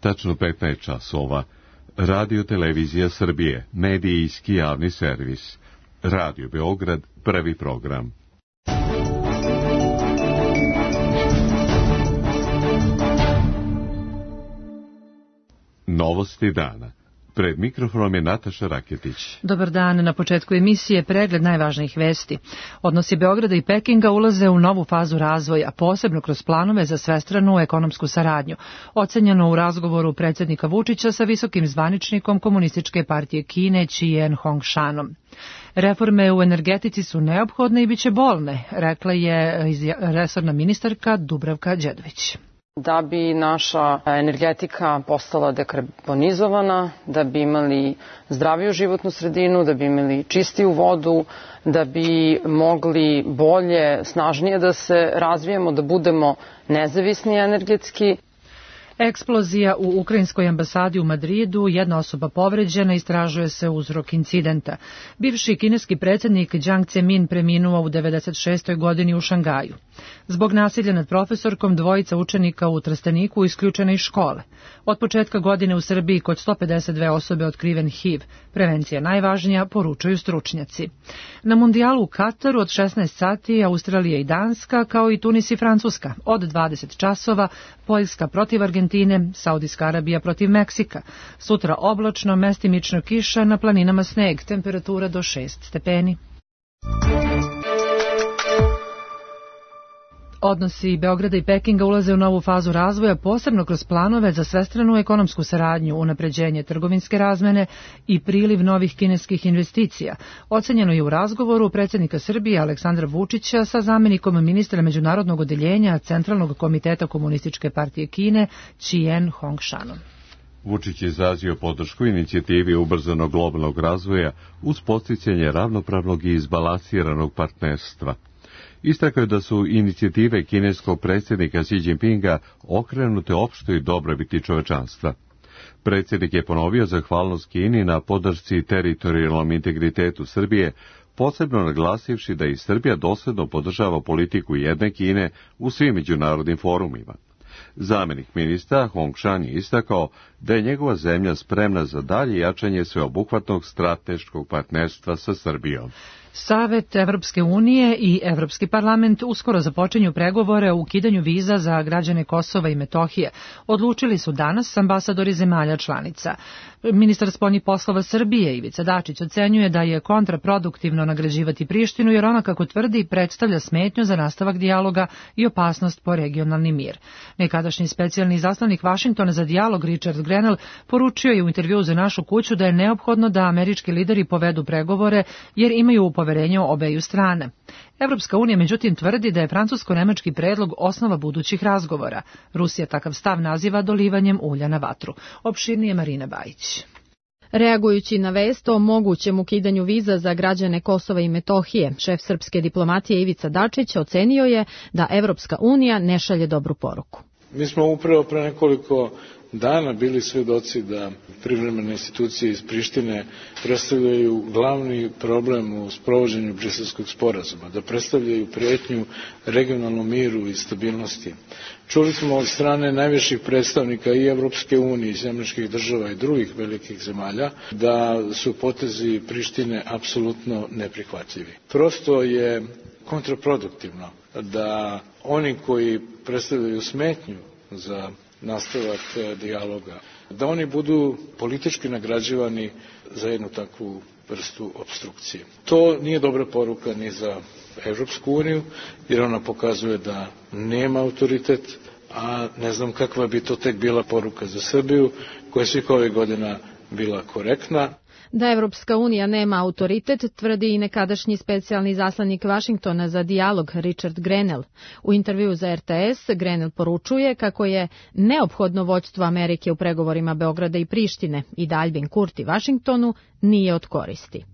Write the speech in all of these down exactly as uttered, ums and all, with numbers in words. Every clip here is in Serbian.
tačno petnaest časova. Radio Televizija Srbije, medijski javni servis. Radio Beograd, prvi program. Novosti dana. Pred mikrofonom je Nataša Raketić. Dobar dan, na početku emisije pregled najvažnijih vesti. Odnosi Beograda i Pekinga ulaze u novu fazu razvoja, posebno kroz planove za svestranu ekonomsku saradnju. Ocenjeno u razgovoru predsjednika Vučića sa visokim zvaničnikom Komunističke partije Kine Qian Hongshanom. Reforme u energetici su neophodne i bit će bolne, rekla je resorna ministarka Dubravka Đedović. Da bi naša energetika postala dekarbonizovana, da bi imali zdraviju životnu sredinu, da bi imali čistiju vodu, da bi mogli bolje, snažnije da se razvijemo, da budemo nezavisni energetski. Eksplozija u ukrajinskoj ambasadi u Madridu, jedna osoba povređena, istražuje se uzrok incidenta. Bivši kineski predsjednik Jiang Zemin preminuo u devedeset šestoj godini u Šangaju. Zbog nasilja nad profesorkom dvojica učenika u Trsteniku isključena iz škole. Od početka godine u Srbiji kod sto pedeset dve osobe otkriven H I V. Prevencija najvažnija, poručuju stručnjaci. Na mundijalu u Kataru od šesnaest sati Australija i Danska, kao i Tunis i Francuska. Od dvadeset časova Poljska protiv Argentine, Saudijska Arabija protiv Meksika. Sutra oblačno, mestimično kiša, na planinama sneg, temperatura do šest stepeni. Odnosi Beograda i Pekinga ulaze u novu fazu razvoja, posebno kroz planove za svestranu ekonomsku saradnju, unapređenje trgovinske razmene i priliv novih kineskih investicija. Ocenjeno je u razgovoru predsjednika Srbije Aleksandra Vučića sa zamjenikom ministra međunarodnog odeljenja Centralnog komiteta Komunističke partije Kine Qian Hongshanom. Vučić je izrazio podršku inicijativi ubrzanog globalnog razvoja uz podsticanje ravnopravnog i izbalansiranog partnerstva. Istakao je da su inicijative kineskog predsjednika Xi Jinpinga okrenute opštoj dobrobiti čovečanstva. Predsjednik je ponovio zahvalnost Kini na podršci teritorijalnom integritetu Srbije, posebno naglasivši da i Srbija dosledno podržava politiku jedne Kine u svim međunarodnim forumima. Zamjenik ministra Hongshan je istakao da je njegova zemlja spremna za dalje jačanje sveobuhvatnog strateškog partnerstva sa Srbijom. Savet Evropske unije i Evropski parlament uskoro započinju pregovore o ukidanju viza za građane Kosova i Metohije. Odlučili su danas ambasadori zemalja članica. Ministar spoljnih poslova Srbije Ivica Dačić ocenjuje da je kontraproduktivno nagrađivati Prištinu jer ona, kako tvrdi, predstavlja smetnju za nastavak dijaloga i opasnost po regionalni mir. Nekadašnji specijalni izaslanik Vašingtona za dijalog Richard Grenell poručio je u intervjuu za Našu kuću da je neophodno da američki lideri povedu pregovore jer imaju poverenje obeju strane. Evropska unija međutim tvrdi da je francusko-nemački predlog osnova budućih razgovora. Rusija takav stav naziva dolivanjem ulja na vatru. Opširnije Marina Bajić. Reagujući na vest o mogućem ukidanju viza za građane Kosova i Metohije, šef srpske diplomatije Ivica Dačić ocenio je da Evropska unija ne šalje dobru poruku. Mi smo upravo pre nekoliko dana bili svedoci da privremene institucije iz Prištine predstavljaju glavni problem u sprovođenju Briselskog sporazuma, da predstavljaju prijetnju regionalnom miru i stabilnosti. Čuli smo od strane najviših predstavnika i Evropske unije, i američkih država i drugih velikih zemalja da su potezi Prištine apsolutno neprihvatljivi. Prosto je kontraproduktivno da oni koji predstavljaju smetnju za nastavak dijaloga, da oni budu politički nagrađivani za jednu takvu vrstu opstrukcije. To nije dobra poruka ni za Evropsku uniju, jer ona pokazuje da nema autoritet, a ne znam kakva bi to tek bila poruka za Srbiju, koja je svih ovih godina bila korektna. Da Evropska unija nema autoritet, tvrdi i nekadašnji specijalni izaslanik Vašingtona za dijalog Richard Grenell. U intervjuu za R T S Grenell poručuje kako je neophodno vođstvo Amerike u pregovorima Beograda i Prištine i da Albin Kurti Vašingtonu nije od koristi.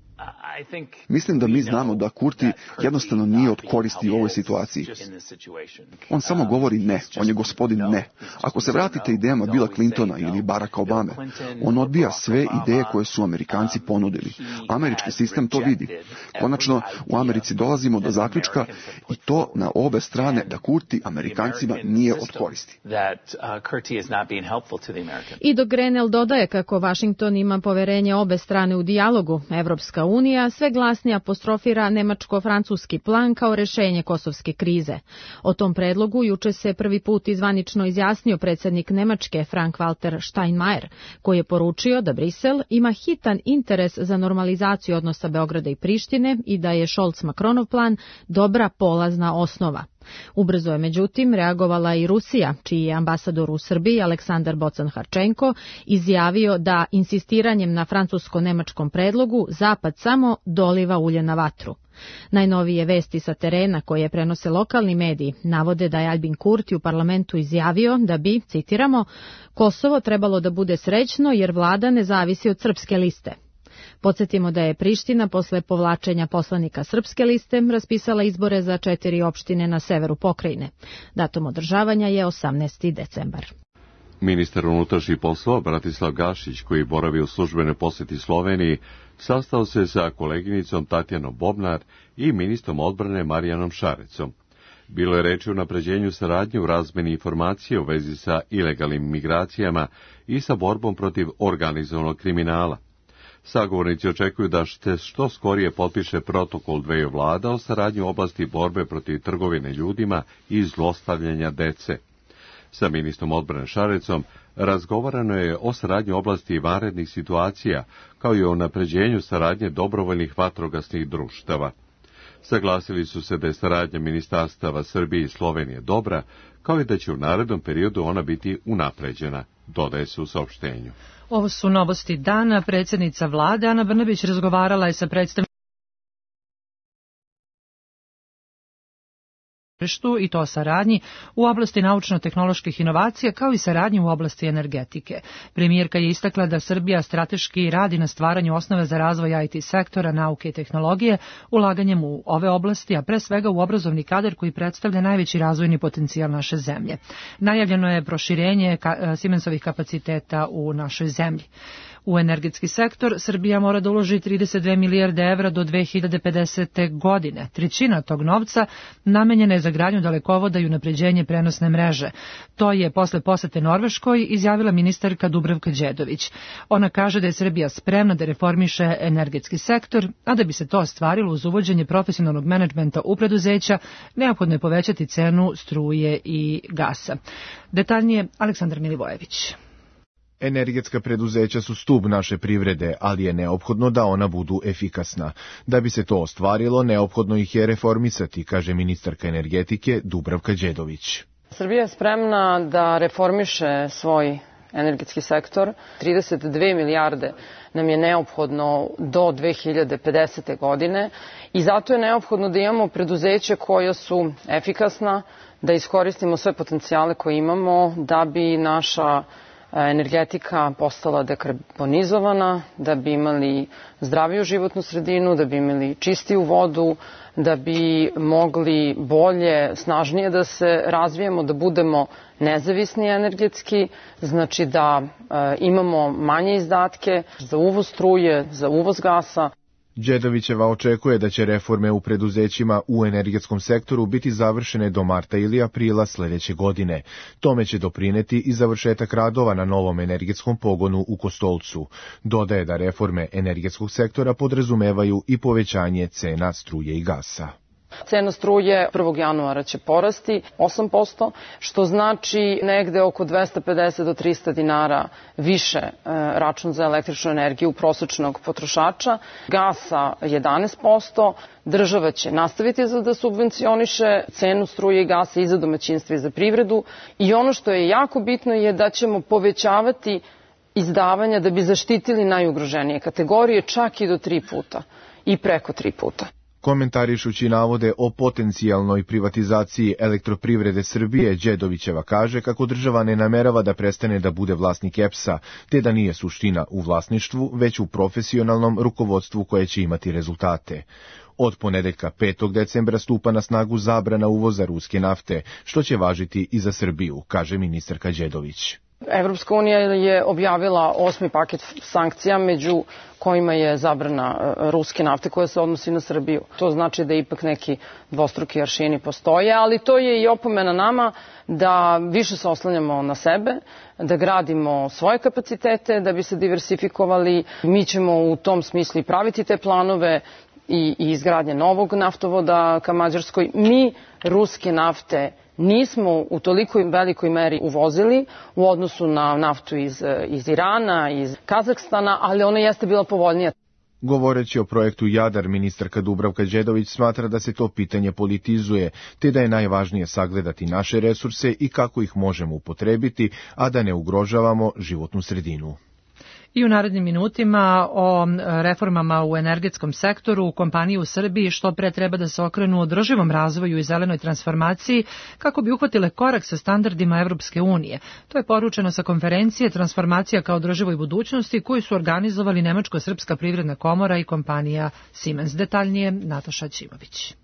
Mislim da mi znamo da Kurti jednostavno nije od koristi u ovoj situaciji. On samo govori ne, on je gospodin ne. Ako se vratite idejama Billa Clintona ili Baracka Obame, on odbija sve ideje koje su Amerikanci ponudili. Američki sistem to vidi. Konačno, u Americi dolazimo do zaključka i to na obe strane da Kurti Amerikancima nije od koristi. I dok Grenell dodaje kako Washington ima poverenje obe strane u dijalogu, Evropska unija sve glasnije apostrofira nemačko-francuski plan kao rešenje kosovske krize. O tom predlogu juče se prvi put izvanično izjasnio predsjednik Nemačke Frank-Walter Steinmeier, koji je poručio da Brisel ima hitan interes za normalizaciju odnosa Beograda i Prištine i da je Scholz-Macronov plan dobra polazna osnova. Ubrzo je međutim reagovala i Rusija, čiji je ambasador u Srbiji Aleksandar Bocan-Harčenko izjavio da insistiranjem na francusko-nemačkom predlogu Zapad samo doliva ulje na vatru. Najnovije vesti sa terena koje prenose lokalni mediji navode da je Albin Kurti u parlamentu izjavio da bi, citiramo, Kosovo trebalo da bude srećno jer vlada ne zavisi od srpske liste. Podsjetimo da je Priština posle povlačenja poslanika srpske liste raspisala izbore za četiri opštine na severu pokrajine. Datum održavanja je osamnaesti decembar. Ministar unutrašnjih poslova Bratislav Gašić, koji boravi u službenoj posjeti Sloveniji, sastao se sa koleginicom Tatjanom Bobnar i ministrom odbrane Marijanom Šarecom. Bilo je reči o unapređenju saradnje u razmeni informacije u vezi sa ilegalnim migracijama i sa borbom protiv organizovanog kriminala. Sagovornici očekuju da se što skorije potpiše protokol dveju vlada o saradnji u oblasti borbe protiv trgovine ljudima i zlostavljanja dece. Sa ministrom odbrane Šarecom razgovarano je o saradnji u oblasti vanrednih situacija, kao i o unapređenju saradnje dobrovoljnih vatrogasnih društava. Saglasili su se da je saradnja ministarstava Srbije i Slovenije dobra, kao i da će u narednom periodu ona biti unapređena, dodaje se u saopštenju. Ovo su novosti dana. Predsjednica vlade Ana Brnabić razgovarala je sa predstavnicima i to saradnji u oblasti naučno-tehnoloških inovacija kao i saradnji u oblasti energetike. Premijerka je istakla da Srbija strateški radi na stvaranju osnove za razvoj I T sektora, nauke i tehnologije, ulaganjem u ove oblasti, a pre svega u obrazovni kadar koji predstavlja najveći razvojni potencijal naše zemlje. Najavljeno je proširenje ka- Siemensovih kapaciteta u našoj zemlji. U energetski sektor Srbija mora da uloži trideset dve milijarde evra do dve hiljade pedesete. godine. Trećina tog novca namenjena je za gradnju dalekovoda i unapređenje prenosne mreže. To je posle posete Norveškoj izjavila ministarka Dubravka Đedović. Ona kaže da je Srbija spremna da reformiše energetski sektor, a da bi se to ostvarilo uz uvođenje profesionalnog menadžmenta u preduzeća, neophodno je povećati cenu struje i gasa. Detaljnije Aleksandar Milivojević. Energetska preduzeća su stub naše privrede, ali je neophodno da ona budu efikasna. Da bi se to ostvarilo, neophodno ih je reformisati, kaže ministarka energetike Dubravka Đedović. Srbija je spremna da reformiše svoj energetski sektor. trideset dve milijarde nam je neophodno do dve hiljade pedesete. godine i zato je neophodno da imamo preduzeće koja su efikasna, da iskoristimo sve potencijale koje imamo, da bi naša energetika postala dekarbonizovana, da bi imali zdraviju životnu sredinu, da bi imali čistiju vodu, da bi mogli bolje, snažnije da se razvijemo, da budemo nezavisni energetski, znači da e, imamo manje izdatke za uvoz struje, za uvoz gasa. Đedovićeva očekuje da će reforme u preduzećima u energetskom sektoru biti završene do marta ili aprila sledeće godine. Tome će doprineti i završetak radova na novom energetskom pogonu u Kostolcu. Dodaje da reforme energetskog sektora podrazumevaju i povećanje cena struje i gasa. Cena struje prvog januara će porasti osam posto, što znači negde oko dvesta pedeset do trista dinara više e, račun za električnu energiju prosečnog potrošača. Gasa jedanaest posto, država će nastaviti da subvencioniše cenu struje i gasa i za domaćinstva i za privredu. I ono što je jako bitno je da ćemo povećavati izdavanja da bi zaštitili najugroženije kategorije čak i do tri puta i preko tri puta. Komentarišući navode o potencijalnoj privatizaciji Elektroprivrede Srbije, Đedovićeva kaže kako država ne namerava da prestane da bude vlasnik E P S-a, te da nije suština u vlasništvu, već u profesionalnom rukovodstvu koje će imati rezultate. Od ponedeljka petog decembra stupa na snagu zabrana uvoza ruske nafte, što će važiti i za Srbiju, kaže ministarka Đedović. Evropska unija je objavila osmi paket sankcija, među kojima je zabrana ruske nafte koja se odnosi na Srbiju. To znači da ipak neki dvostruki aršini postoje, ali to je i opomena nama da više se oslanjamo na sebe, da gradimo svoje kapacitete, da bi se diversifikovali. Mi ćemo u tom smislu praviti te planove i izgradnje novog naftovoda ka Mađarskoj. Mi ruske nafte nismo u toliko velikoj meri uvozili u odnosu na naftu iz, iz Irana, iz Kazahstana, ali ona jeste bila povoljnija. Govoreći o projektu Jadar, ministarka Dubravka Đedović smatra da se to pitanje politizuje, te da je najvažnije sagledati naše resurse i kako ih možemo upotrebiti, a da ne ugrožavamo životnu sredinu. I u narednim minutima o reformama u energetskom sektoru, kompanije u Srbiji što pre treba da se okrenu održivom razvoju i zelenoj transformaciji kako bi uhvatile korak sa standardima Evropske unije. To je poručeno sa konferencije Transformacija kao održivoj budućnosti koju su organizovali Nemačko-srpska privredna komora i kompanija Siemens. Detaljnije Nataša Ćimović.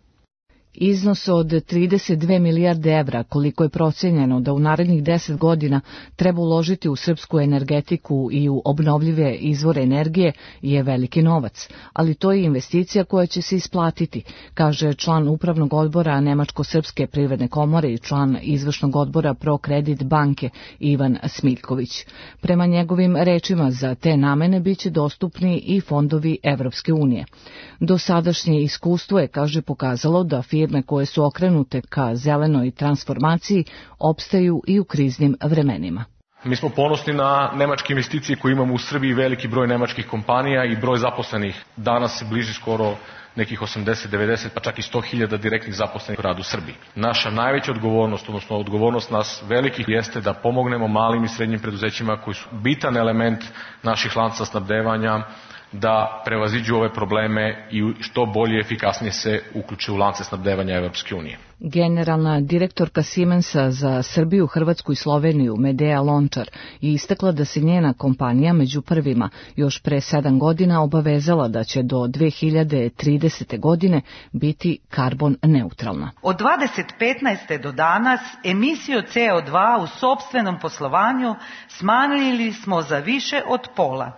Iznos od trideset dve milijarde evra, koliko je procenjeno da u narednih deset godina treba uložiti u srpsku energetiku i u obnovljive izvore energije, je veliki novac, ali to je investicija koja će se isplatiti, kaže član upravnog odbora Nemačko-srpske privredne komore i član izvršnog odbora ProCredit banke Ivan Smiljković. Prema njegovim rečima, za te namene biće dostupni i fondovi Evropske unije. Dosadašnje iskustvo je, kaže, pokazalo da firme koje su okrenute ka zelenoj transformaciji opstaju i u kriznim vremenima. Mi smo ponosni na nemačke investicije koje imamo u Srbiji, veliki broj nemačkih kompanija i broj zaposlenih. Danas se bliži skoro nekih osamdeset, devedeset, pa čak i sto hiljada direktnih zaposlenih u radu u Srbiji. Naša najveća odgovornost, odnosno odgovornost nas velikih, jeste da pomognemo malim i srednjim preduzećima koji su bitan element naših lanca snabdevanja, da prevaziđu ove probleme i što bolje i efikasnije se uključe u lance snabdevanja Evropske unije. Generalna direktorka Siemensa za Srbiju, Hrvatsku i Sloveniju, Medea Lončar, je istakla da se njena kompanija među prvima još pre sedam godina obavezala da će do dve hiljade tridesete. godine biti karbon neutralna. Od dvadeset petnaeste. do danas emisiju C O dva u sopstvenom poslovanju smanjili smo za više od pola,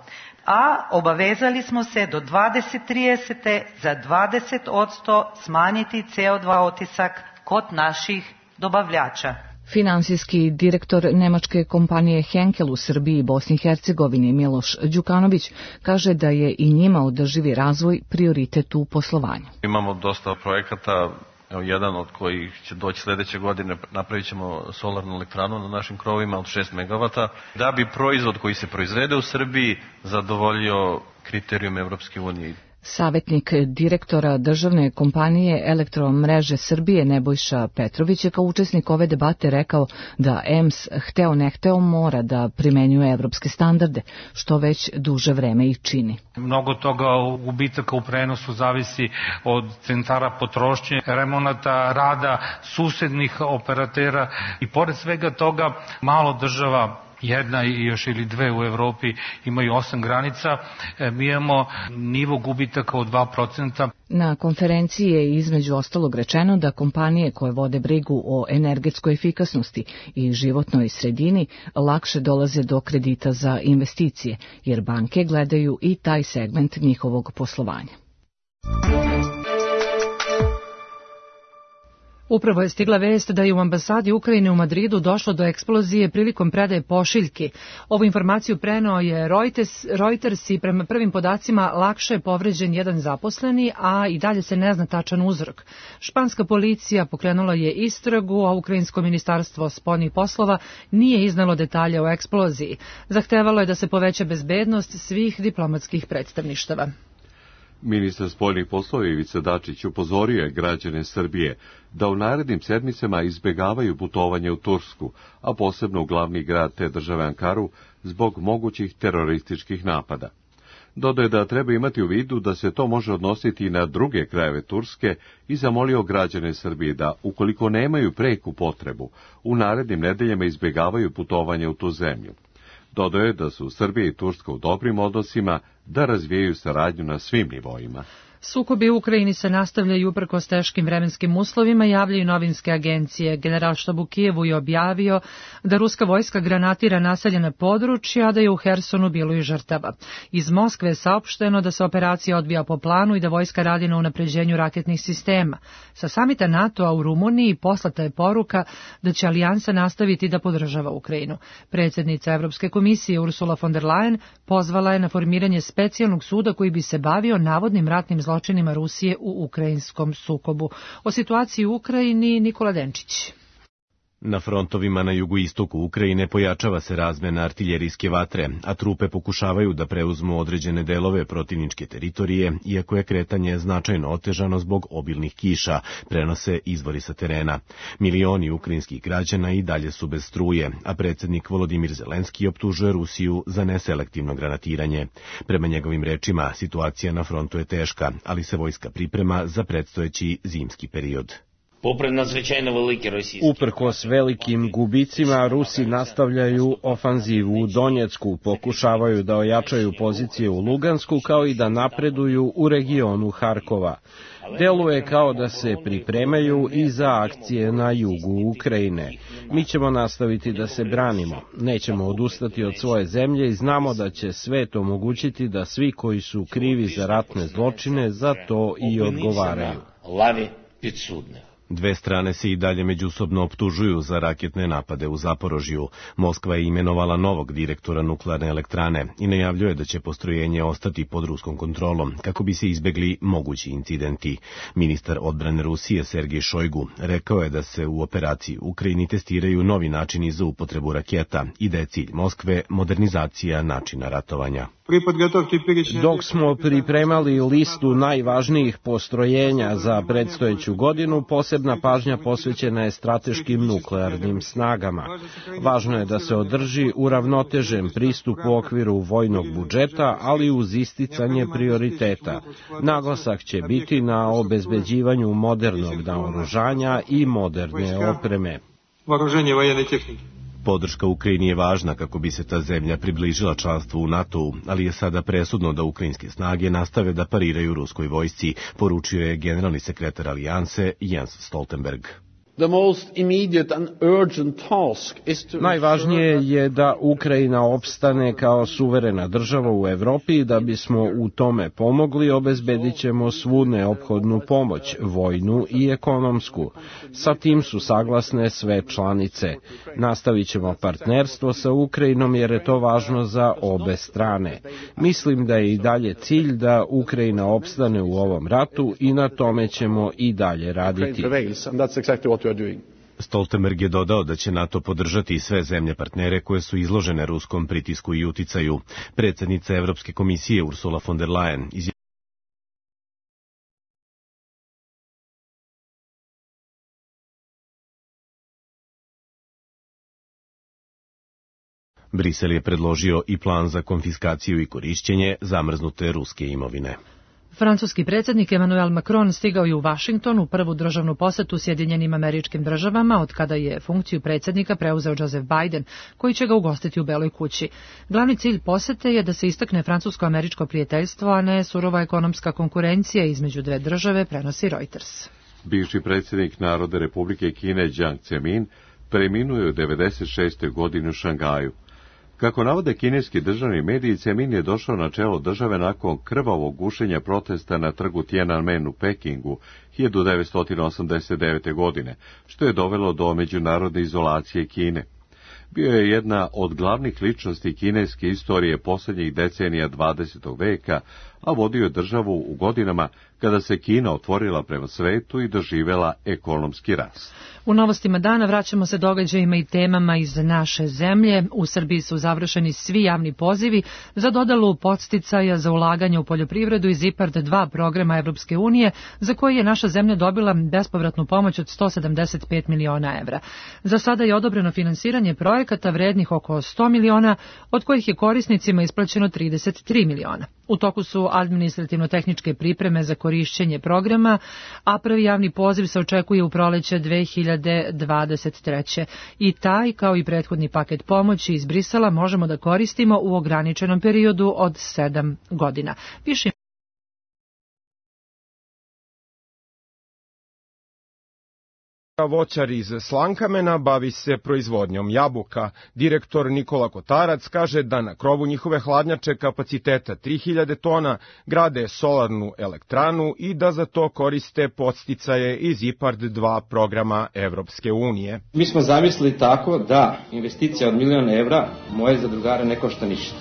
a obavezali smo se do dvadeset tridesete. za dvadeset posto smanjiti C O dva otisak kod naših dobavljača. Finansijski direktor nemačke kompanije Henkel u Srbiji i Bosni i Hercegovini Miloš Đukanović kaže da je i njima održivi razvoj prioritet u poslovanju. Imamo dosta projekata. Evo, jedan od kojih će doći sljedeće godine, napravit ćemo solarnu elektranu na našim krovima od šest megavata, da bi proizvod koji se proizvede u Srbiji zadovoljio kriterijum Evropske unije. Savjetnik direktora državne kompanije Elektromreže Srbije Nebojša Petrović je kao učesnik ove debate rekao da E M S hteo ne hteo mora da primenjuje evropske standarde, što već duže vreme i čini. Mnogo toga gubitaka u prenosu zavisi od centara potrošnje, remonata, rada susednih operatera i pored svega toga malo država, jedna i još ili dve u Evropi imaju osam granica, mi imamo nivo gubitaka od dva procenta. Na konferenciji je između ostalog rečeno da kompanije koje vode brigu o energetskoj efikasnosti i životnoj sredini lakše dolaze do kredita za investicije, jer banke gledaju i taj segment njihovog poslovanja. Upravo je stigla vest da je u ambasadi Ukrajine u Madridu došlo do eksplozije prilikom predaje pošiljki. Ovu informaciju preneo je Reuters, Reuters i prema prvim podacima lakše je povređen jedan zaposleni, a i dalje se ne zna tačan uzrok. Španska policija pokrenula je istragu, a Ukrajinsko ministarstvo spoljnih poslova nije iznalo detalje o eksploziji. Zahtevalo je da se poveća bezbednost svih diplomatskih predstavništava. Ministar spoljnih poslova Ivica Dačić upozorio je građane Srbije da u narednim sedmicama izbjegavaju putovanje u Tursku, a posebno u glavni grad te države Ankaru, zbog mogućih terorističkih napada. Dodaje da treba imati u vidu da se to može odnositi i na druge krajeve Turske i zamolio građane Srbije da, ukoliko nemaju preku potrebu, u narednim nedeljama izbjegavaju putovanje u tu zemlju. Dodaje da su Srbija i Turska u dobrim odnosima, da razvijaju saradnju na svim nivoima. Sukobi u Ukrajini se nastavljaju uprkos teškim vremenskim uslovima, javljaju novinske agencije. Generalštab u Kijevu je objavio da ruska vojska granatira naseljena područja, a da je u Hersonu bilo i žrtava. Iz Moskve je saopšteno da se operacija odvija po planu i da vojska radi na unapređenju raketnih sistema. Sa samita NATO-a u Rumuniji poslata je poruka da će alijansa nastaviti da podržava Ukrajinu. Predsjednica Evropske komisije Ursula von der Leyen pozvala je na formiranje specijalnog suda koji bi se bavio navodnim ratnim zločinima Rusije u ukrajinskom sukobu. O situaciji u Ukrajini Nikola Denčić. Na frontovima na jugoistoku Ukrajine pojačava se razmena artiljerijske vatre, a trupe pokušavaju da preuzmu određene delove protivničke teritorije, iako je kretanje značajno otežano zbog obilnih kiša, prenose izvori sa terena. Milioni ukrajinskih građana i dalje su bez struje, a predsjednik Volodimir Zelenski optužuje Rusiju za neselektivno granatiranje. Prema njegovim rečima, situacija na frontu je teška, ali se vojska priprema za predstojeći zimski period. Uprkos velikim gubicima, Rusi nastavljaju ofanzivu u Donjecku, pokušavaju da ojačaju pozicije u Lugansku kao i da napreduju u regionu Harkova. Deluje kao da se pripremaju i za akcije na jugu Ukrajine. Mi ćemo nastaviti da se branimo, nećemo odustati od svoje zemlje i znamo da će svet omogućiti da svi koji su krivi za ratne zločine za to i odgovaraju. Dve strane se i dalje međusobno optužuju za raketne napade u Zaporožju. Moskva je imenovala novog direktora nuklearne elektrane i najavljuje da će postrojenje ostati pod ruskom kontrolom kako bi se izbegli mogući incidenti. Ministar odbrane Rusije Sergej Šojgu rekao je da se u operaciji u Ukrajini testiraju novi načini za upotrebu raketa i da je cilj Moskve modernizacija načina ratovanja. Dok smo pripremali listu najvažnijih postrojenja za predstojeću godinu, posebna pažnja posvećena je strateškim nuklearnim snagama. Važno je da se održi uravnotežen pristup u okviru vojnog budžeta, ali uz isticanje prioriteta. Naglasak će biti na obezbeđivanju modernog naoružanja i moderne opreme. Podrška Ukrajini je važna kako bi se ta zemlja približila članstvu u NATO-u, ali je sada presudno da ukrajinske snage nastave da pariraju ruskoj vojsci, poručio je generalni sekretar alijanse Jens Stoltenberg. Najvažnije je da Ukrajina opstane kao suverena država u Evropi i da bismo u tome pomogli, obezbedit ćemo svu neophodnu pomoć, vojnu i ekonomsku. Sa tim su saglasne sve članice. Nastavit ćemo partnerstvo sa Ukrajinom jer je to važno za obe strane. Mislim da je i dalje cilj da Ukrajina opstane u ovom ratu i na tome ćemo i dalje raditi. Stoltenberg je dodao da će NATO podržati sve zemlje partnere koje su izložene ruskom pritisku i uticaju. Predsjednica Evropske komisije Ursula von der Leyen izjavila Brisel je predložio i plan za konfiskaciju i korišćenje zamrznute ruske imovine. Francuski predsjednik Emmanuel Macron stigao je u Vašington u prvu državnu posetu Sjedinjenim Američkim Državama od kada je funkciju predsjednika preuzeo Joseph Biden, koji će ga ugostiti u Beloj kući. Glavni cilj posete je da se istakne francusko-američko prijateljstvo, a ne surova ekonomska konkurencija između dve države, prenosi Reuters. Bivši predsjednik Narodne Republike Kine Jiang Zemin preminuo je u devedeset šestoj godini u Šangaju. Kako navode kineski državni mediji, Zemin je došao na čelo države nakon krvavog gušenja protesta na trgu Tiananmen u Pekingu hiljadu devetsto osamdeset devete. godine, što je dovelo do međunarodne izolacije Kine. Bio je jedna od glavnih ličnosti kineske istorije posljednjih decenija dvadesetog veka, a vodio je državu u godinama kada se Kina otvorila prema svetu i doživela ekonomski rast. U novostima dana vraćamo se događajima i temama iz naše zemlje. U Srbiji su završeni svi javni pozivi za dodelu podsticaja za ulaganje u poljoprivredu iz IPARD dva programa Evropske unije, za koji je naša zemlja dobila bespovratnu pomoć od sto sedamdeset pet miliona evra. Za sada je odobreno finansiranje projekata vrednih oko sto miliona, od kojih je korisnicima isplaćeno trideset tri miliona. U toku su administrativno-tehničke pripreme za korišćenje programa, a prvi javni poziv se očekuje u proleće dve hiljade dvadeset treće. I taj, kao i prethodni paket pomoći iz Brisela, možemo da koristimo u ograničenom periodu od sedam godina. Više Voćar iz Slankamena bavi se proizvodnjom jabuka. Direktor Nikola Kotarac kaže da na krovu njihove hladnjače kapaciteta tri hiljade tona grade solarnu elektranu i da za to koriste podsticaje iz IPARD dva programa Evropske unije. Mi smo zamislili tako da investicija od milion evra moje zadrugare ne košta ništa.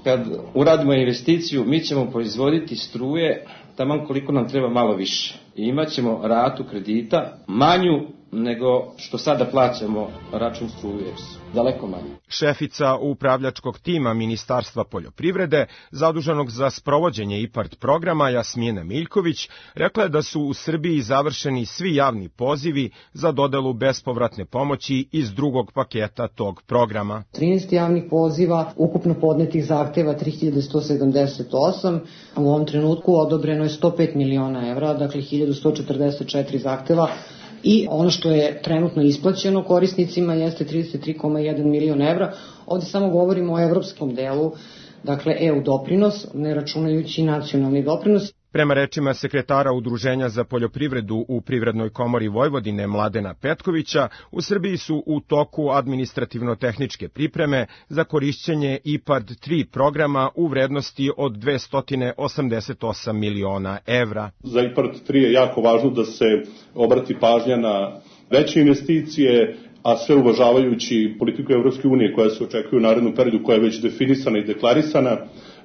Kad uradimo investiciju, mi ćemo proizvoditi struje taman koliko nam treba, malo više. I imat ćemo ratu kredita manju nego što sada plaćamo račun struje, daleko manje. Šefica upravljačkog tima Ministarstva poljoprivrede, zaduženog za sprovođenje IPARD programa, Jasmina Miljković, rekla je da su u Srbiji završeni svi javni pozivi za dodelu bespovratne pomoći iz drugog paketa tog programa. trinaest javnih poziva, ukupno podnetih zahteva tri hiljade sto sedamdeset osam, a u ovom trenutku odobreno je sto pet miliona evra, dakle hiljadu sto četrdeset četiri zahteva. I ono što je trenutno isplaćeno korisnicima jeste trideset tri zarez jedan milion evra. Ovdje samo govorimo o evropskom delu, dakle E U doprinos, ne računajući nacionalni doprinos. Prema rečima sekretara Udruženja za poljoprivredu u Privrednoj komori Vojvodine Mladena Petkovića, u Srbiji su u toku administrativno-tehničke pripreme za korišćenje IPARD tri programa u vrednosti od dvesta osamdeset osam miliona evra. Za IPARD tri je jako važno da se obrati pažnja na veće investicije, a sve uvažavajući politiku Evropske unije koja se očekuje u narednom periodu, koja je već definisana i deklarisana,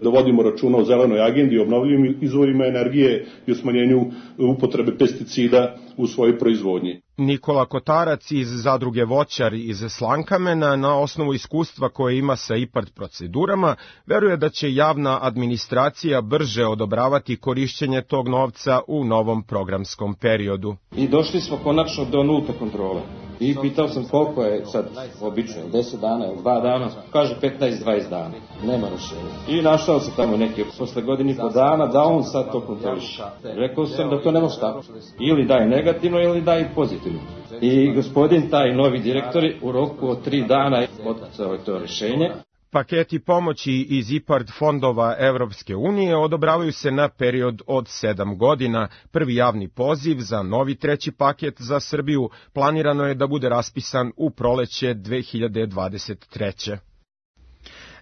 da vodimo računa o zelenoj agendi, obnovljivim izvorima energije i o smanjenju upotrebe pesticida u svojoj proizvodnji. Nikola Kotarac iz zadruge Voćar iz Slankamena, na osnovu iskustva koje ima sa IPARD procedurama, veruje da će javna administracija brže odobravati korišćenje tog novca u novom programskom periodu. I došli smo konačno do nulte kontrole. I pitao sam koliko je sad obično, deset dana ili dva dana, kaže petnaest do dvadeset dana, nema rešenja. I našao se tamo neki posle godini po dana da on sad to kontroliše. Rekao sam da to ne može tako. Ili daj negativno ili daj pozitivno. I gospodin, taj novi direktor, u roku od tri dana odcao je to rešenje. Paketi pomoći iz IPARD fondova Evropske unije odobravaju se na period od sedam godina. Prvi javni poziv za novi treći paket za Srbiju planirano je da bude raspisan u proleće dve hiljade dvadeset treće.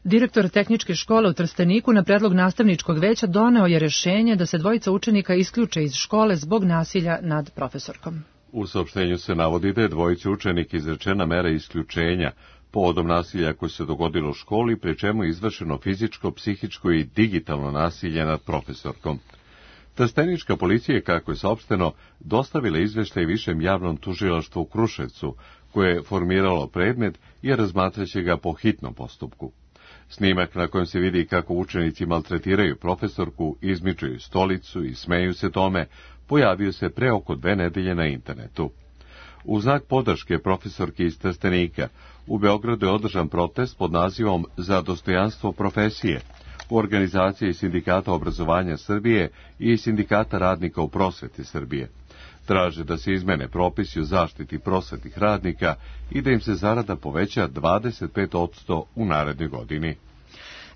Direktor tehničke škole u Trsteniku na predlog nastavničkog veća doneo je rešenje da se dvojica učenika isključe iz škole zbog nasilja nad profesorkom. U saopštenju se navodi da je dvojici učenika izrečena mera isključenja povodom nasilja koje se dogodilo u školi, pri čemu je izvršeno fizičko, psihičko i digitalno nasilje nad profesorkom. Trstenička policija je, kako je saopšteno, dostavila izveštaj višem javnom tužilaštvu u Kruševcu, koje je formiralo predmet i razmatraće ga po hitnom postupku. Snimak na kojem se vidi kako učenici maltretiraju profesorku, izmičuju stolicu i smeju se tome, pojavio se pre oko dve nedelje na internetu. U znak podrške profesorke iz Trstenika, u Beogradu je održan protest pod nazivom Za dostojanstvo profesije u organizaciji Sindikata obrazovanja Srbije i Sindikata radnika u prosveti Srbije. Traže da se izmene propisi o zaštiti prosvetnih radnika i da im se zarada poveća dvadeset pet posto u narednoj godini.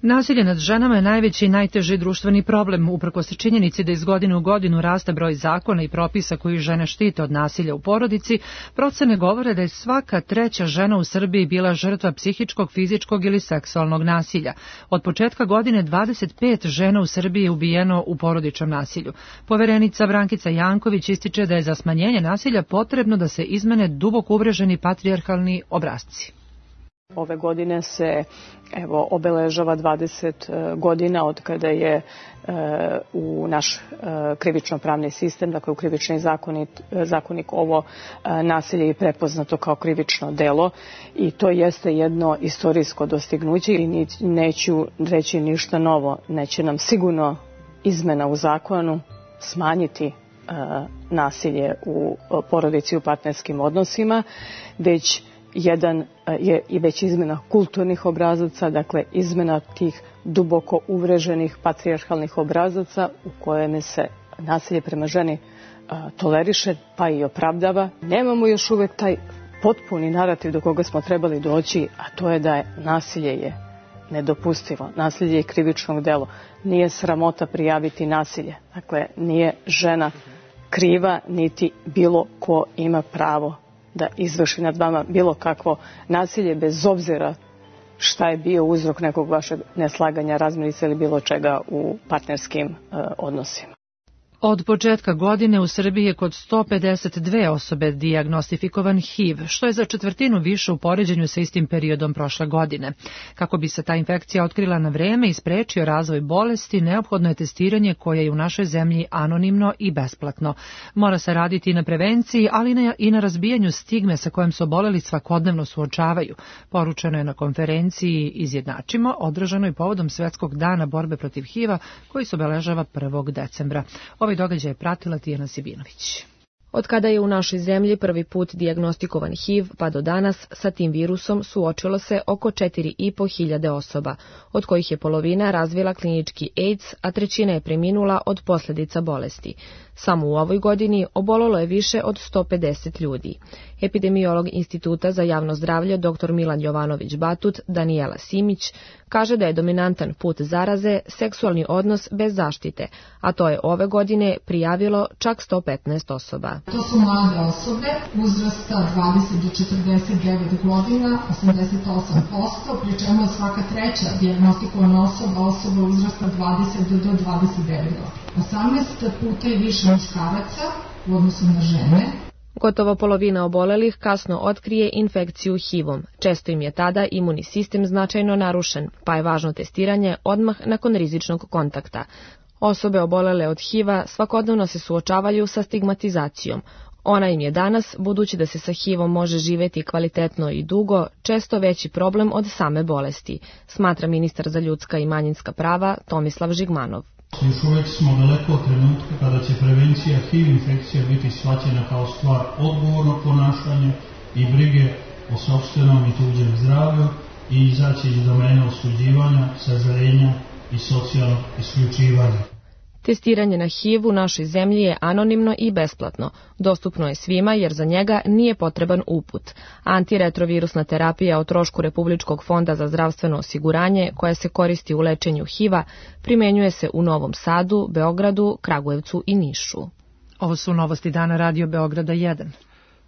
Nasilje nad ženama je najveći i najteži društveni problem, uprkos činjenici da iz godine u godinu raste broj zakona i propisa koji žene štite od nasilja u porodici. Procene govore da je svaka treća žena u Srbiji bila žrtva psihičkog, fizičkog ili seksualnog nasilja. Od početka godine dvadeset pet žena u Srbiji je ubijeno u porodičnom nasilju. Poverenica Brankica Janković ističe da je za smanjenje nasilja potrebno da se izmene duboko uvreženi patrijarhalni obrasci. Ove godine se evo obeležava dvadeset godina od kada je e, u naš e, krivično-pravni sistem, dakle u krivični zakonik, zakonik ovo e, nasilje je prepoznato kao krivično delo i to jeste jedno istorijsko dostignuće i neću reći ništa novo. Neće nam sigurno izmena u zakonu smanjiti e, nasilje u porodici, u partnerskim odnosima, već jedan je i već izmena kulturnih obrazaca, dakle izmena tih duboko uvreženih patrijarhalnih obrazaca u kojem se nasilje prema ženi toleriše pa i opravdava. Nemamo još uvek taj potpuni narativ do koga smo trebali doći, a to je da je nasilje je nedopustivo. Nasilje je krivično delo. Nije sramota prijaviti nasilje. Dakle, nije žena kriva, niti bilo ko ima pravo da izvrši nad vama bilo kakvo nasilje, bez obzira šta je bio uzrok nekog vašeg neslaganja, razmirice ili bilo čega u partnerskim uh, odnosima. Od početka godine u Srbiji je kod sto pedeset dve osobe dijagnostifikovan H I V, što je za četvrtinu više u poređenju sa istim periodom prošle godine. Kako bi se ta infekcija otkrila na vreme i sprečio razvoj bolesti, neophodno je testiranje koje je u našoj zemlji anonimno i besplatno. Mora se raditi i na prevenciji, ali i na razbijanju stigme sa kojom se oboleli svakodnevno suočavaju. Poručeno je na konferenciji Izjednačimo, održanoj povodom Svetskog dana borbe protiv H I V-a, koji se obeležava prvog decembra. Ovaj događaj je pratila Tijana Sibinović. Od kada je u našoj zemlji prvi put dijagnostikovan H I V, pa do danas sa tim virusom suočilo se oko četiri i po hiljade osoba, od kojih je polovina razvila klinički AIDS, a trećina je preminula od posljedica bolesti. Samo u ovoj godini obolelo je više od sto pedeset ljudi. Epidemiolog Instituta za javno zdravlje dr Milan Jovanović Batut, Danijela Simić, kaže da je dominantan put zaraze seksualni odnos bez zaštite, a to je ove godine prijavilo čak sto petnaest osoba. To su mlade osobe uzrasta dvadeset do četrdeset devet godina, osamdeset osam posto, pri čemu je svaka treća dijagnostikovana osoba osoba uzrasta dvadeset do dvadeset devet godina. osamnaest puta je više muškaraca u odnosu na žene. Gotovo polovina obolelih kasno otkrije infekciju H I V-om. Često im je tada imunni sistem značajno narušen, pa je važno testiranje odmah nakon rizičnog kontakta. Osobe obolele od H I V-a svakodnevno se suočavaju sa stigmatizacijom. Ona im je danas, budući da se sa H I V-om može živeti kvalitetno i dugo, često veći problem od same bolesti, smatra ministar za ljudska i manjinska prava Tomislav Žigmanov. Još uvijek smo daleko od trenutka kada će prevencija H I V infekcija biti shvaćena kao stvar odgovornog ponašanja i brige o sopstvenom i tuđem zdravlju i izaći iz domena osuđivanja, sažaljenja i socijalnog isključivanja. Testiranje na H I V u našoj zemlji je anonimno i besplatno. Dostupno je svima jer za njega nije potreban uput. Antiretrovirusna terapija o trošku Republičkog fonda za zdravstveno osiguranje, koja se koristi u lečenju H I V-a, primenjuje se u Novom Sadu, Beogradu, Kragujevcu i Nišu. Ovo su novosti dana Radio Beograda jedan.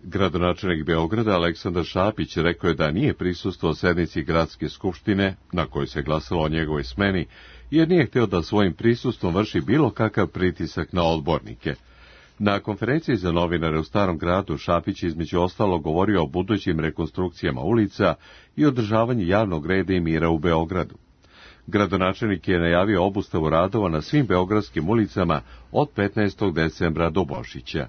Gradonačelnik Beograda Aleksandar Šapić rekao je da nije prisustvovao sednici Gradske skupštine, na kojoj se glasalo o njegovoj smeni, jer nije hteo da svojim prisustvom vrši bilo kakav pritisak na odbornike. Na konferenciji za novinare u Starom gradu Šapić između ostalo govorio o budućim rekonstrukcijama ulica i održavanju javnog reda i mira u Beogradu. Gradonačelnik je najavio obustavu radova na svim beogradskim ulicama od petnaestog decembra do Božića.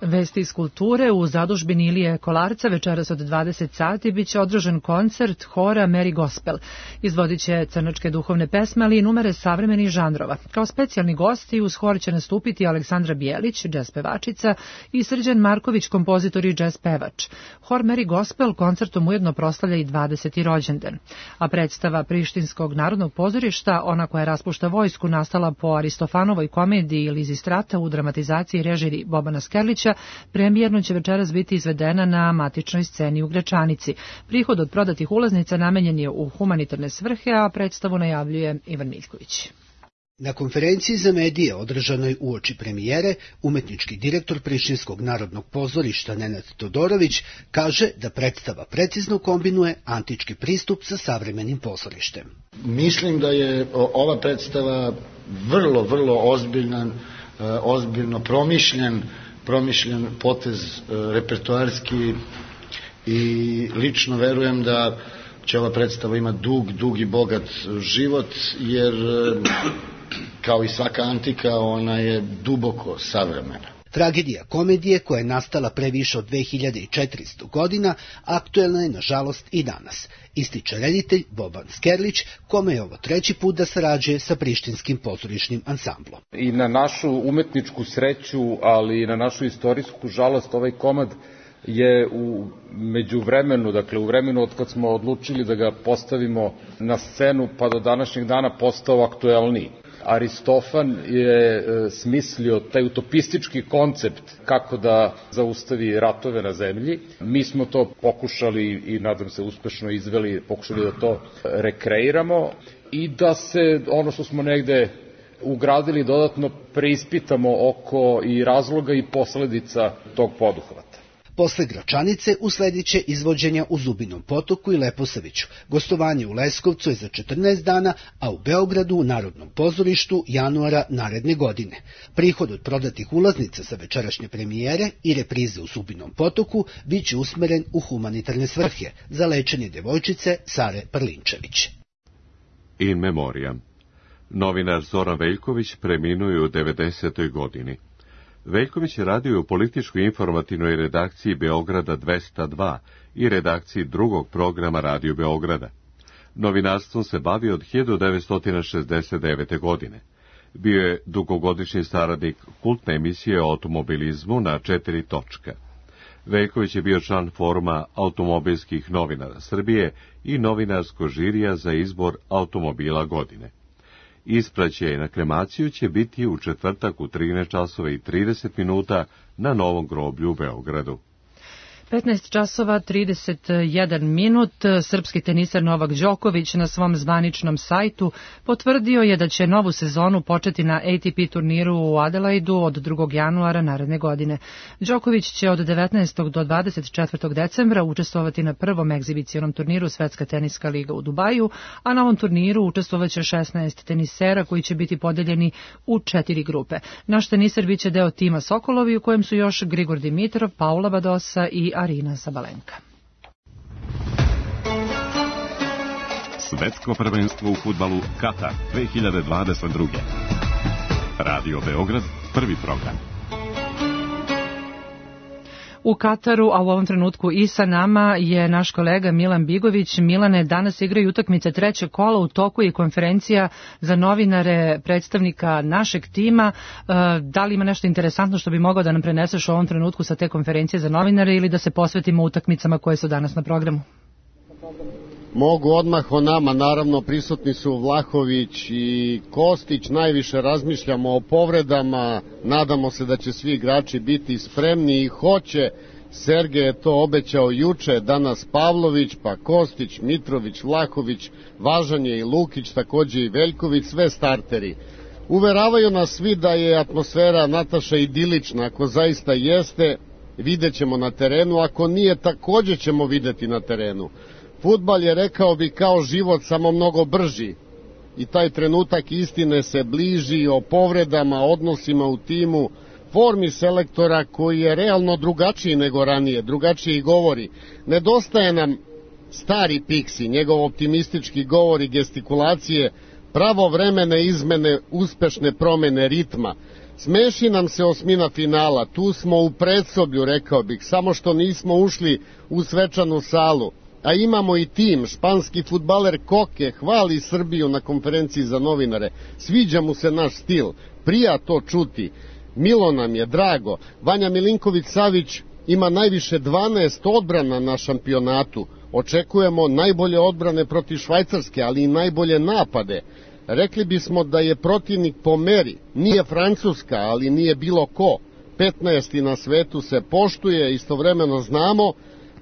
Vesti iz kulture. U zadužbini Ilije Kolarca večeras od dvadeset sati biće održan koncert hora Mary Gospel. Izvodit će crnačke duhovne pesme, ali i numere savremenih žanrova. Kao specijalni gosti uz hor će nastupiti Aleksandra Bijelić, džez pevačica, i Srđan Marković, kompozitor i džez pevač. Hor Mary Gospel koncertom ujedno proslavlja i dvadeseti rođendan. A predstava Prištinskog narodnog pozorišta, ona koja raspušta vojsku, nastala po Aristofanovoj komediji Lizistrata u dramatizaciji režiji Bobana Skerlića, premijerno će večeras biti izvedena na matičnoj sceni u Gračanici. Prihod od prodatih ulaznica namenjen je u humanitarne svrhe, a predstavu najavljuje Ivan Miljković. Na konferenciji za medije održanoj uoči premijere, umetnički direktor Prištinskog narodnog pozorišta Nenad Todorović kaže da predstava precizno kombinuje antički pristup sa savremenim pozorištem. Mislim da je ova predstava vrlo, vrlo ozbiljan, ozbiljno promišljen, promišljen potez repertoarski i lično verujem da će ova predstava imati dug, dug i bogat život, jer kao i svaka antika ona je duboko savremena. Tragedija komedije koja je nastala pre više od dve hiljade četiristo godina aktuelna je nažalost i danas, ističe reditelj Boban Skerlić, kome je ovo treći put da sarađuje sa prištinskim pozorišnim ansamblom. I na našu umetničku sreću, ali i na našu istorijsku žalost, ovaj komad je u međuvremenu, dakle u vremenu od kad smo odlučili da ga postavimo na scenu pa do današnjeg dana postao aktuelniji. Aristofan je smislio taj utopistički koncept kako da zaustavi ratove na zemlji. Mi smo to pokušali i nadam se uspešno izveli, pokušali da to rekreiramo i da se ono što smo negde ugradili dodatno preispitamo oko i razloga i posledica tog poduhvata. Posle Gračanice usledit će izvođenja u Zubinom Potoku i Leposaviću. Gostovanje u Leskovcu je za četrnaest dana, a u Beogradu u Narodnom pozorištu januara naredne godine. Prihod od prodatih ulaznica sa večerašnje premijere i reprize u Zubinom Potoku biće usmeren u humanitarne svrhe za lečenje devojčice Sare Prlinčević. In memoriam. Novinar Zoran Veljković preminuo je u devedesetoj godini. Veljković je radio u političkoj informativnoj redakciji Beograda dvesta dva i redakciji drugog programa Radio Beograda. Novinarstvom se bavio od hiljadu devetsto šezdeset devete. godine. Bio je dugogodišnji saradnik kultne emisije o automobilizmu na četiri točka. Veljković je bio član foruma automobilskih novinara Srbije i novinarskog žirija za izbor automobila godine. Ispraćaj na kremaciju će biti u četvrtak u trinaest časova i trideset minuta na Novom groblju u Beogradu. petnaest časova trideset jedan minut. Srpski tenisar Novak Đoković na svom zvaničnom sajtu potvrdio je da će novu sezonu početi na A T P turniru u Adelaidu od drugog januara naredne godine. Đoković će od devetnaestog do dvadeset četvrtog decembra učestvovati na prvom egzibicionom turniru Svetska teniska liga u Dubaju, a na ovom turniru učestvovaće šesnaest tenisera koji će biti podeljeni u četiri grupe. Naš tenisar biće deo tima Sokolovi u kojem su još Grigor Dimitrov, Paula Badosa i Arina Sabalenka. Svetsko prvenstvo u fudbalu Katar dve hiljade dvadeset druge. Radio Beograd, prvi program. U Kataru, a u ovom trenutku i sa nama je naš kolega Milan Bigović. Milane, danas igraju utakmice trećeg kola, u toku i konferencija za novinare predstavnika našeg tima. Da li ima nešto interesantno što bi mogao da nam preneseš u ovom trenutku sa te konferencije za novinare ili da se posvetimo utakmicama koje su danas na programu? Mogu odmah o nama, naravno prisutni su Vlahović i Kostić, najviše razmišljamo o povredama, nadamo se da će svi igrači biti spremni i hoće. Sergej je to obećao juče, danas Pavlović, pa Kostić, Mitrović, Vlahović, važan je i Lukić, takođe i Veljković, sve starteri. Uveravaju nas svi da je atmosfera Nataša idilična, ako zaista jeste, vidjet ćemo na terenu, ako nije, takođe ćemo videti na terenu. Fudbal je, rekao bi, kao život, samo mnogo brži i taj trenutak istine se bliži o povredama, odnosima u timu, formi selektora koji je realno drugačiji nego ranije, drugačiji govori. Nedostaje nam stari Piksi, njegov optimistički govor i gestikulacije, pravovremene izmene, uspešne promene ritma. Smeši nam se osmina finala, tu smo u predsoblju, rekao bih, samo što nismo ušli u svečanu salu. A imamo i tim, španski fudbaler Koke hvali Srbiju na konferenciji za novinare. Sviđa mu se naš stil, prija to čuti. Milo nam je, drago. Vanja Milinković-Savić ima najviše dvanaest odbrana na šampionatu. Očekujemo najbolje odbrane protiv Švajcarske, ali i najbolje napade. Rekli bismo da je protivnik po meri. Nije Francuska, ali nije bilo ko. petnaesti na svetu se poštuje, istovremeno znamo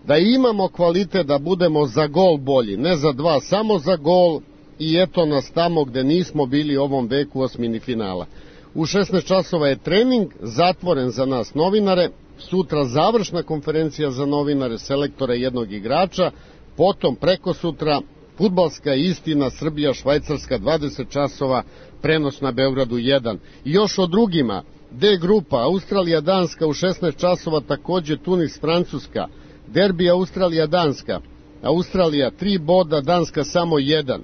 da imamo kvalitet da budemo za gol bolji, ne za dva, samo za gol i eto nas tamo gde nismo bili ovom veku osmini finala. U šesnaest časova je trening, zatvoren za nas novinare, sutra završna konferencija za novinare, selektora jednog igrača, potom preko sutra fudbalska istina Srbija-Švajcarska dvadeset časova, prenos na Beogradu jedan. I još o drugima, D grupa, Australija-Danska u šesnaest časova, takođe Tunis-Francuska, derbi Australija-Danska, Australija tri boda, Danska samo jedan,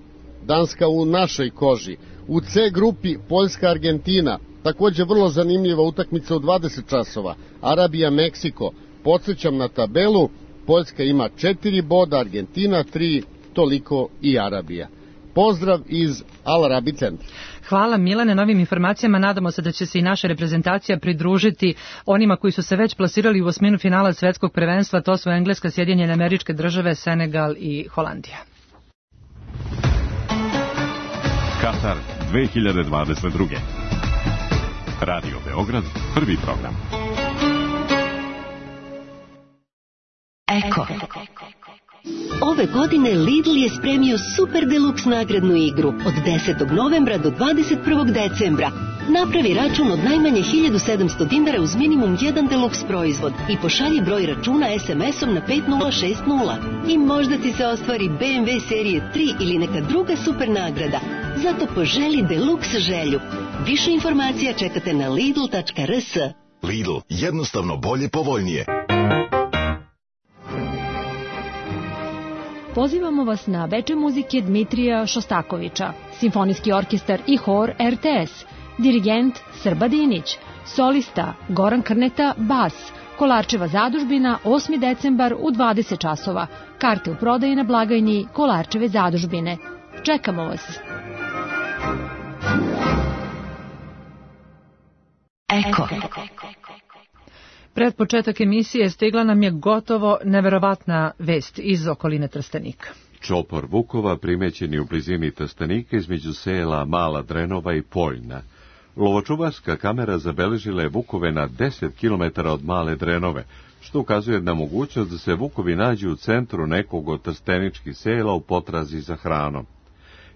Danska u našoj koži. U C grupi Poljska-Argentina, Takođe vrlo zanimljiva utakmica u dvadeset časova. Arabija-Meksiko. Podsjećam na tabelu, Poljska ima četiri boda, Argentina tri, toliko i Arabija. Pozdrav iz Al Arabi centra. Hvala Milane na ovim informacijama. Nadamo se da će se i naša reprezentacija pridružiti onima koji su se već plasirali u osminu finala svetskog prvenstva. To su Engleska, Sjedinjene Američke Države, Senegal i Holandija. Katar dve hiljade dvadeset druge. Radio Beograd, prvi program. Eko. Ove godine Lidl je spremio super deluks nagradnu igru od desetog novembra do dvadeset prvog decembra. Napravi račun od najmanje hiljadu sedamsto dinara uz minimum jedan deluks proizvod i pošalji broj računa es em esom na pet nula šest nula. I možda ti se ostvari be em ve serije tri ili neka druga super nagrada. Zato poželi deluks želju. Više informacija čekate na lidl tačka er es. Lidl, jednostavno bolje, povoljnije. Pozivamo vas na veče muzike Dmitrija Šostakovića, simfonijski orkestar i hor er te es, dirigent Srba Dinić, solista Goran Krneta, bas, Kolarčeva zadužbina, osmi decembar u dvadeset časova, karte u prodaji na blagajni Kolarčeve zadužbine. Čekamo vas! Eko. Pred početak emisije stigla nam je gotovo neverovatna vest iz okoline Trstenika. Čopor vukova primećen je u blizini Trstenika između sela Mala Drenova i Poljna. Lovočuvarska kamera zabeležila je vukove na deset kilometara od Male Drenove, što ukazuje na mogućnost da se vukovi nađu u centru nekog od trsteničkih sela u potrazi za hranom.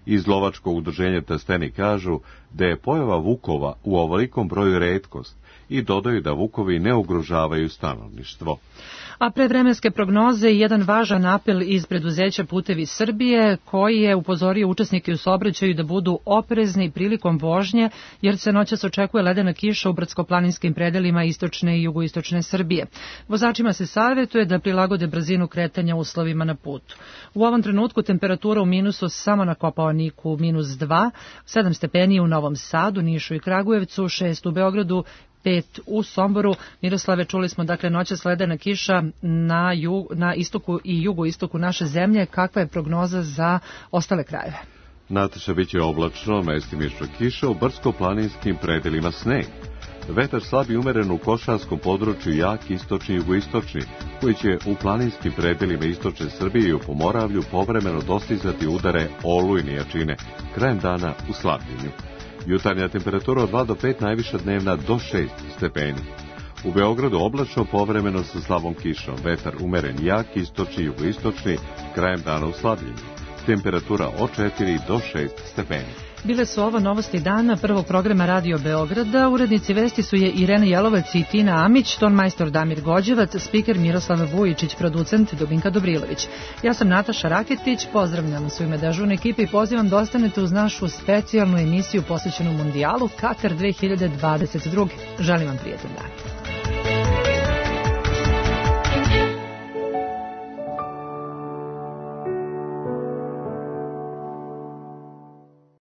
Iz lovačkog udruženja Trstenik kažu da je pojava vukova u ovolikom broju retkost i dodaju da vukovi ne ugrožavaju stanovništvo. A pre vremenske prognoze jedan važan apel iz preduzeća Putevi Srbije koji je upozorio učesnike u saobraćaju da budu oprezni prilikom vožnje jer se noćas očekuje ledena kiša u brdsko-planinskim predelima istočne i jugoistočne Srbije. Vozačima se savjetuje da prilagode brzinu kretanja uslovima na putu. U ovom trenutku temperatura u minusu samo na Kopaoniku minus dva, sedam stepeni u Novom Sadu, Nišu i Kragujevcu, šest u Beogradu, pet u Somboru. Miroslave, čuli smo dakle noćas ledena kiša na, jug, na istoku i jugoistoku naše zemlje. Kakva je prognoza za ostale krajeve? Nataša, bit će oblačno, mestimično kiša, u brdsko-planinskim predelima sneg. Vetar slab i umeren u košarskom području, jak istočni i jugoistočni, koji će u planinskim predelima istočne Srbije i u Pomoravlju povremeno dostizati udare olujne jačine, krajem dana u slabljenju. Jutarnja temperatura od dva do pet, najviša dnevna do šest stepeni. U Beogradu oblačno, povremeno sa slabom kišom, vetar umeren jak, istočni i jugoistočni, krajem dana u slabljenju. Temperatura od četiri do šest stepeni. Bile su ovo novosti dana prvog programa Radio Beograda. Urednici vesti su je Irena Jelovac i Tina Amić, ton majstor Damir Gođevac, spiker Miroslav Vujičić, producent Dubinka Dobrilović. Ja sam Nataša Raketić, pozdravljam u ime dežurne ekipe i pozivam da ostanete uz našu specijalnu emisiju posvećenu mundijalu Katar dve hiljade dvadeset druge. Želim vam prijetan dan.